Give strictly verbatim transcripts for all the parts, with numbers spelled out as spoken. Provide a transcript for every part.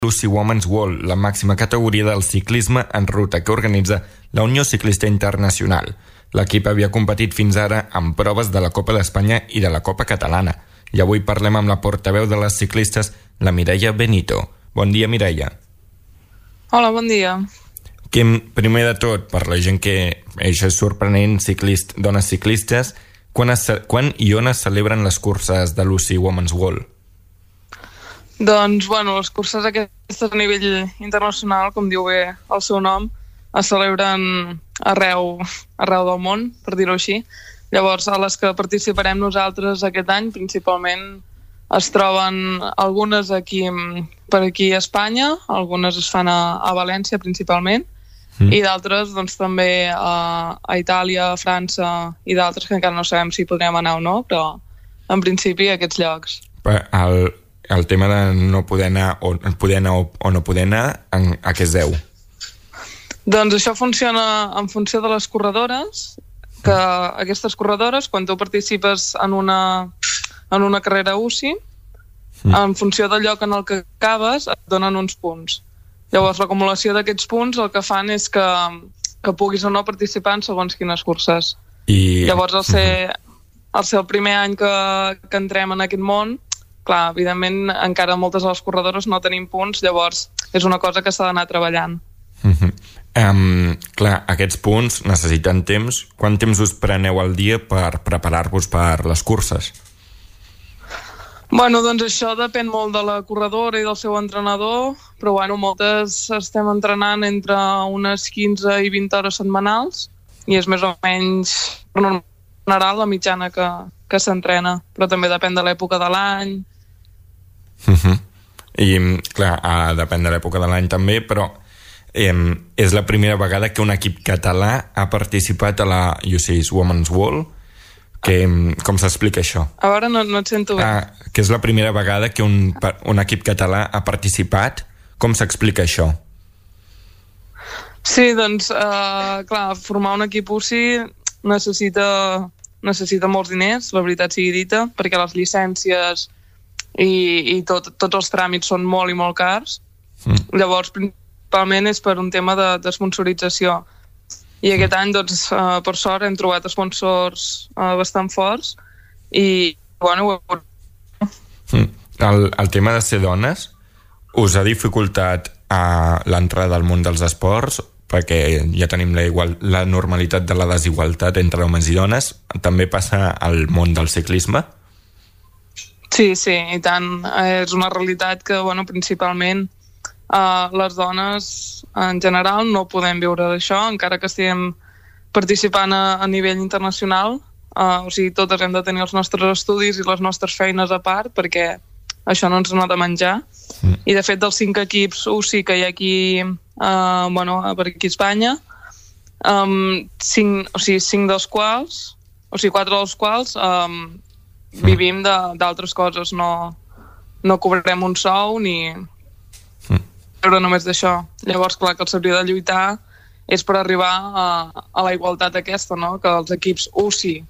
l'U C I Women's World, la màxima categoria del ciclisme en ruta que organitza la Unió Ciclista Internacional. L'equip havia competit fins ara en proves de la Copa d'Espanya i de la Copa Catalana. I avui parlem amb la portaveu de les ciclistes, la Mireia Benito. Bon dia, Mireia. Hola, bon dia. Que, primer de tot, per la gent que això és sorprenent, ciclist, dones ciclistes, quan, es, quan i on es celebren les curses de l'U C I Women's World? Doncs, bueno, les curses aquestes a nivell internacional, com diu bé el seu nom, es celebren arreu, arreu del món, per dir-ho així. Llavors, a les que participarem nosaltres aquest any, principalment es troben algunes aquí, per aquí a Espanya, algunes es fan a, a València principalment, mm. i d'altres doncs, també a, a Itàlia, a França i d'altres que encara no sabem si podrem anar o no, però en principi a aquests llocs. El, el tema de no poder anar o, poder anar o, o no poder anar, en, a què es deu? Doncs això funciona en funció de les corredores, que aquestes corredores, quan tu participes en una, en una carrera U C I, mm. en funció del lloc en el que acabes, et donen uns punts. Llavors, l'acumulació d'aquests punts el que fan és que, que puguis o no participar en segons quines curses. I... Llavors, al ser, al ser el primer any que, que entrem en aquest món, clar, evidentment, encara moltes de les corredores no tenim punts, llavors és una cosa que s'ha d'anar treballant. Mm-hmm. Um, clar, aquests punts necessiten temps. Quant temps us preneu al dia per preparar-vos per les curses? Bueno, doncs això depèn molt de la corredora i del seu entrenador, però bueno, moltes estem entrenant entre unes quinze i vint hores setmanals i és més o menys per general la mitjana que, que s'entrena, però també depèn de l'època de l'any. Uh-huh. I clar, uh, depèn de l'època de l'any també, però Eh, és la primera vegada que un equip català ha participat a la U C I Women's World. Que, com s'explica això? A veure, no, no et sento bé. Ah, que és la primera vegada que un, un equip català ha participat. Com s'explica això? Sí, doncs, eh, clar, formar un equip U C I necessita, necessita molts diners, la veritat sigui dita, perquè les llicències i, i tot, tots els tràmits són molt i molt cars. Mm. Llavors, principalment és per un tema de, de sponsorització. I aquest any, doncs, uh, per sort, hem trobat sponsors uh, bastant forts i, bueno... El, el tema de ser dones us ha dificultat uh, l'entrada al món dels esports, perquè ja tenim la, igual, la normalitat de la desigualtat entre homes i dones. També passa al món del ciclisme? Sí, sí, i tant. És una realitat que, bueno, principalment Uh, les dones en general no podem viure d'això, encara que estiguem participant a, a nivell internacional. Uh, o sigui, totes hem de tenir els nostres estudis i les nostres feines a part perquè això no ens n'ha de menjar. Mm. I de fet dels cinc equips U C I que hi ha aquí uh, bueno, per aquí a Espanya, um, cinc, o sigui, cinc dels quals o sigui, quatre dels quals um, mm. vivim d'altres coses, no, no cobrem un sou ni però només d'això. Llavors, clar, que el s'hauria de lluitar és per arribar a, a la igualtat aquesta, no? Que els equips U C I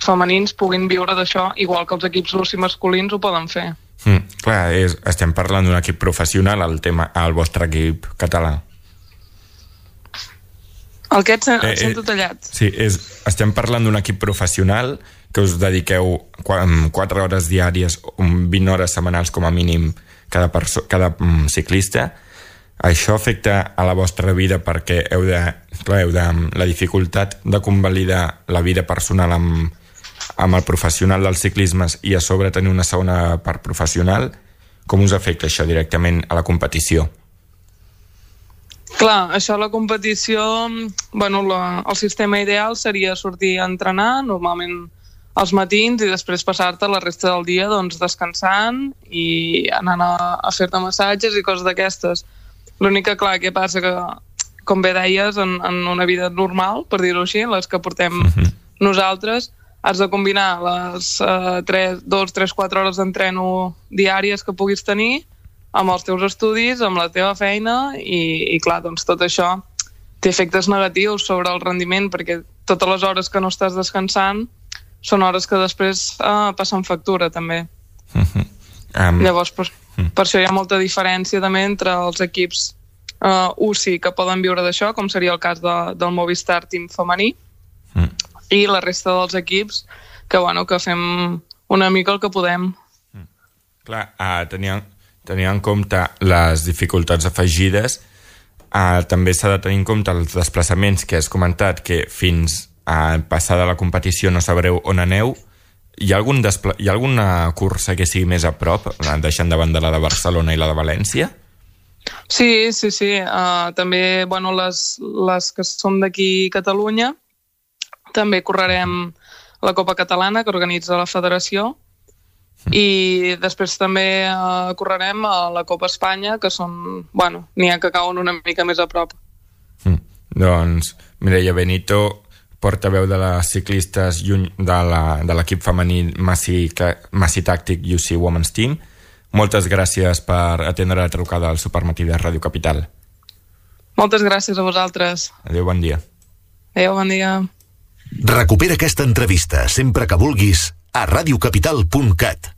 femenins puguin viure d'això igual que els equips U C I masculins ho poden fer. Mm, clar, és, estem parlant d'un equip professional, el tema, el vostre equip català. El que et, et eh, sento tallat. Sí, és, estem parlant d'un equip professional que us dediqueu quatre hores diàries, vint hores setmanals com a mínim cada, perso- cada um, ciclista. Això afecta a la vostra vida perquè heu de, clar, heu de la dificultat de convalidar la vida personal amb, amb el professional dels ciclismes i a sobre tenir una segona part professional. Com us afecta això directament a la competició? Clar, això a la competició, bueno, la, el sistema ideal seria sortir a entrenar, normalment als matins, i després passar-te la resta del dia doncs, descansant i anant a, a fer-te massatges i coses d'aquestes. L'únic que, clar, què passa que, com bé deies, en, en una vida normal, per dir-ho així, les que portem uh-huh. nosaltres, has de combinar les uh, dos, tres, quatre hores d'entreno diàries que puguis tenir amb els teus estudis, amb la teva feina i, i clar, doncs tot això té efectes negatius sobre el rendiment perquè totes les hores que no estàs descansant són hores que després uh, passen factura també. Uh-huh. um, Llavors, pues, Mm. Per això hi ha molta diferència també entre els equips uh, U C I que poden viure d'això, com seria el cas de, del Movistar Team femení, mm. i la resta dels equips que, bueno, que fem una mica el que podem. Mm. Clar, uh, tenia, tenia en compte les dificultats afegides. Uh, també s'ha de tenir en compte els desplaçaments que has comentat, que fins a passada la competició no sabreu on aneu. Hi ha, algun despla... Hi ha alguna cursa que sigui més a prop, deixant de banda la de Barcelona i la de València? Sí, sí, sí. Uh, també, bueno, les, les que som d'aquí a Catalunya, també correrem la Copa Catalana, que organitza la Federació, i després també uh, correrem a la Copa Espanya, que són, bueno, n'hi ha que cauen una mica més a prop. Mm. Doncs Mireia Benito, portaveu de les ciclistes de l'equip femení Massi, Massi Tàctic U C I Women's Team, moltes gràcies per atendre la trucada al Supermatí de Ràdio Capital. Moltes gràcies a vosaltres. Adéu, bon dia. Adéu, bon dia. Recupera aquesta entrevista sempre que vulguis a radiocapital punt cat.